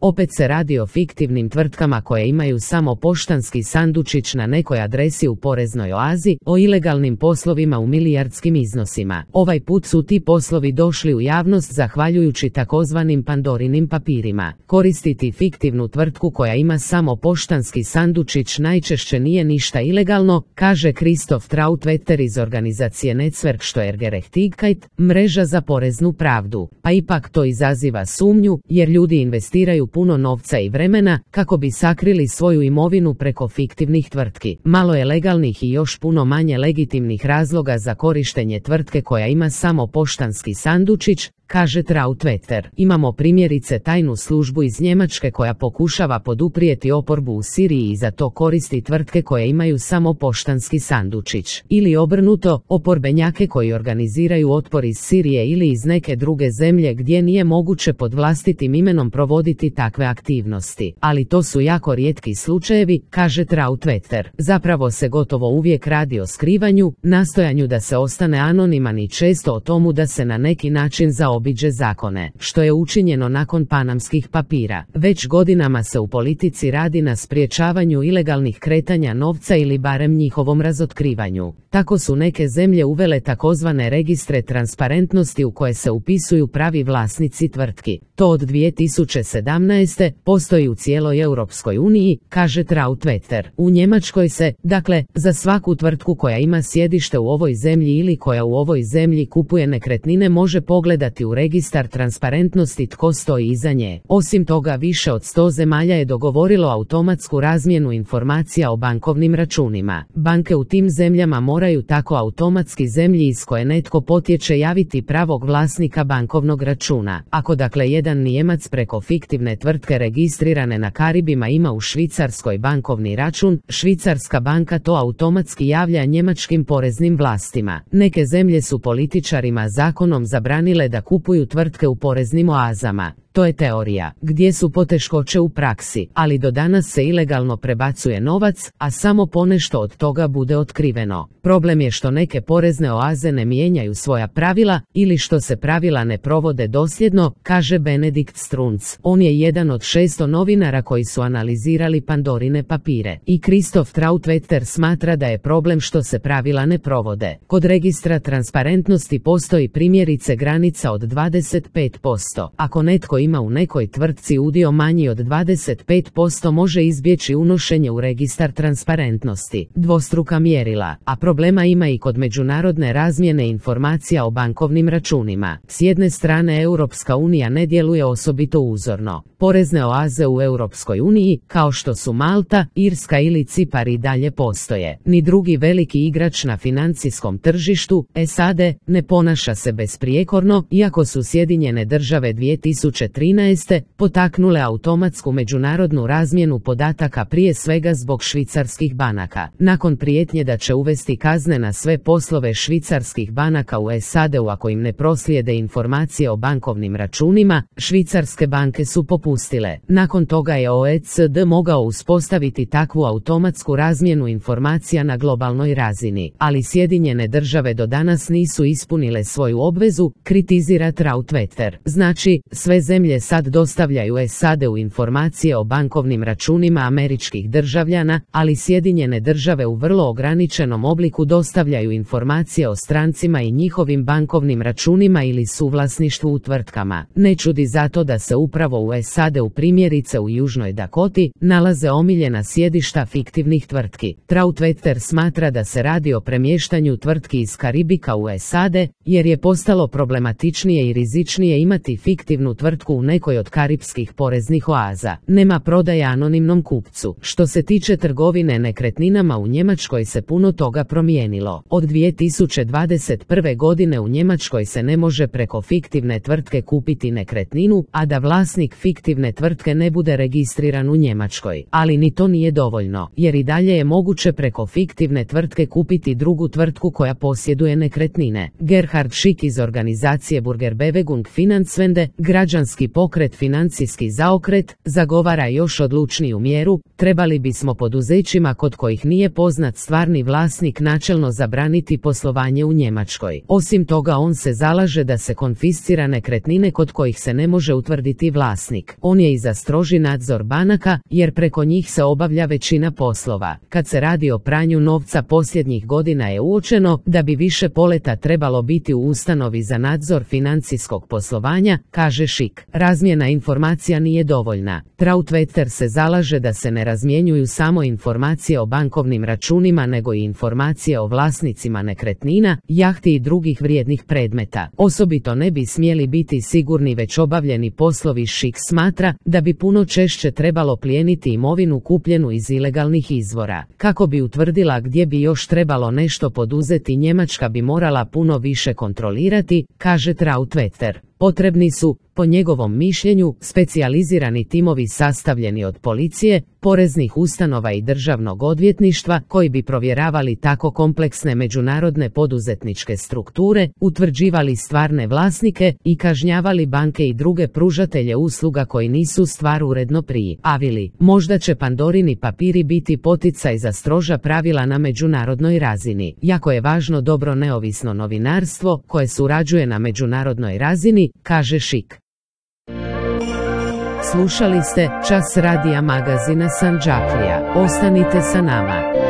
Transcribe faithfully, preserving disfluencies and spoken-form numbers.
Opet se radi o fiktivnim tvrtkama koje imaju samo poštanski sandučić na nekoj adresi u poreznoj oazi, o ilegalnim poslovima u milijardskim iznosima. Ovaj put su ti poslovi došli u javnost zahvaljujući takozvanim Pandorinim papirima. Koristiti fiktivnu tvrtku koja ima samo poštanski sandučić najčešće nije ništa ilegalno, kaže Christoph Trautwetter iz organizacije Netzwerksteuergerechtigkeit, mreža za poreznu pravdu. Pa ipak to izaziva sumnju, jer ljudi investiraju puno novca i vremena kako bi sakrili svoju imovinu preko fiktivnih tvrtki. Malo je legalnih i još puno manje legitimnih razloga za korištenje tvrtke koja ima samo poštanski sandučić, kaže Trautwetter. Imamo primjerice tajnu službu iz Njemačke koja pokušava poduprijeti oporbu u Siriji i za to koristi tvrtke koje imaju samo poštanski sandučić. Ili obrnuto, oporbenjake koji organiziraju otpor iz Sirije ili iz neke druge zemlje gdje nije moguće pod vlastitim imenom provoditi takve aktivnosti. Ali to su jako rijetki slučajevi, kaže Trautwetter. Zapravo se gotovo uvijek radi o skrivanju, nastojanju da se ostane anoniman i često o tomu da se na neki način zaobiđe obiđe zakone, što je učinjeno nakon panamskih papira. Već godinama se u politici radi na sprječavanju ilegalnih kretanja novca ili barem njihovom razotkrivanju. Tako su neke zemlje uvele takozvane registre transparentnosti u koje se upisuju pravi vlasnici tvrtki. To od dvije tisuće sedamnaeste. postoji u cijeloj Europskoj uniji, kaže Trautwetter. U Njemačkoj se, dakle, za svaku tvrtku koja ima sjedište u ovoj zemlji ili koja u ovoj zemlji kupuje nekretnine može pogledati u registar transparentnosti tko stoji iza nje. Osim toga, više od sto zemalja je dogovorilo automatsku razmjenu informacija o bankovnim računima. Banke u tim zemljama moraju tako automatski zemlji iz koje netko potječe javiti pravog vlasnika bankovnog računa. Ako dakle jedan Nijemac preko fiktivne tvrtke registrirane na Karibima ima u Švicarskoj bankovni račun, švicarska banka to automatski javlja njemačkim poreznim vlastima. Neke zemlje su političarima zakonom zabranile da kupuju tvrtke u poreznim oazama. To je teorija. Gdje su poteškoće u praksi, ali do danas se ilegalno prebacuje novac, a samo ponešto od toga bude otkriveno. Problem je što neke porezne oaze ne mijenjaju svoja pravila ili što se pravila ne provode dosljedno, kaže Benedikt Strunz. On je jedan od šesto novinara koji su analizirali Pandorine papire. I Christoph Trautwetter smatra da je problem što se pravila ne provode. Kod registra transparentnosti postoji primjerice granica od dvadeset pet posto. Ako netko ima u nekoj tvrtci udio manji od dvadeset pet posto može izbjeći unošenje u registar transparentnosti. Dvostruka mjerila, a problema ima i kod međunarodne razmjene informacija o bankovnim računima. S jedne strane Europska unija ne djeluje osobito uzorno. Porezne oaze u Europskoj uniji, kao što su Malta, Irska ili Cipar i dalje postoje. Ni drugi veliki igrač na financijskom tržištu, S A D, ne ponaša se besprijekorno, iako su Sjedinjene države dvije tisuće trinaeste. potaknule automatsku međunarodnu razmjenu podataka prije svega zbog švicarskih banaka. Nakon prijetnje da će uvesti kazne na sve poslove švicarskih banaka u S A D-u ako im ne proslijede informacije o bankovnim računima, švicarske banke su popustile. Nakon toga je O E C D mogao uspostaviti takvu automatsku razmjenu informacija na globalnoj razini, ali Sjedinjene države do danas nisu ispunile svoju obvezu, kritizira Trautwetter. Znači, sve zemlje sad dostavljaju S A D-u informacije o bankovnim računima američkih državljana, ali Sjedinjene države u vrlo ograničenom obliku dostavljaju informacije o strancima i njihovim bankovnim računima ili suvlasništvu u tvrtkama. Ne čudi zato da se upravo u S A D-u primjerice u Južnoj Dakoti nalaze omiljena sjedišta fiktivnih tvrtki. Trautwetter smatra da se radi o premještanju tvrtki iz Karibika u S A D, jer je postalo problematičnije i rizičnije imati fiktivnu tvrtku u nekoj od karipskih poreznih oaza. Nema prodaje anonimnom kupcu. Što se tiče trgovine nekretninama u Njemačkoj se puno toga promijenilo. Od dvije tisuće dvadeset prve. godine u Njemačkoj se ne može preko fiktivne tvrtke kupiti nekretninu, a da vlasnik fiktivne tvrtke ne bude registriran u Njemačkoj. Ali ni to nije dovoljno, jer i dalje je moguće preko fiktivne tvrtke kupiti drugu tvrtku koja posjeduje nekretnine. Gerhard Schick iz organizacije Burgerbewegung Finanzwende, građanski građanski pokret Financijski zaokret zagovara još odlučniju mjeru, trebali bismo poduzećima kod kojih nije poznat stvarni vlasnik načelno zabraniti poslovanje u Njemačkoj. Osim toga on se zalaže da se konfiscira nekretnine kod kojih se ne može utvrditi vlasnik. On je i za stroži nadzor banaka, jer preko njih se obavlja većina poslova. Kad se radi o pranju novca posljednjih godina je uočeno da bi više poleta trebalo biti u ustanovi za nadzor financijskog poslovanja, kaže Šik. Razmjena informacija nije dovoljna. Trautvetter se zalaže da se ne razmjenjuju samo informacije o bankovnim računima nego i informacije o vlasnicima nekretnina, jahti i drugih vrijednih predmeta. Osobito ne bi smjeli biti sigurni već obavljeni poslovi. Šik smatra da bi puno češće trebalo plijeniti imovinu kupljenu iz ilegalnih izvora. Kako bi utvrdila gdje bi još trebalo nešto poduzeti, Njemačka bi morala puno više kontrolirati, kaže Trautvetter. Potrebni su, po njegovom mišljenju, specijalizirani timovi sastavljeni od policije, poreznih ustanova i državnog odvjetništva koji bi provjeravali tako kompleksne međunarodne poduzetničke strukture, utvrđivali stvarne vlasnike i kažnjavali banke i druge pružatelje usluga koji nisu stvar uredno prijavili. Možda će Pandorini papiri biti poticaj za stroža pravila na međunarodnoj razini. Jako je važno dobro neovisno novinarstvo koje surađuje na međunarodnoj razini, kaže Šik. Slušali ste Čas radija magazina Sandžaklija. Ostanite sa nama.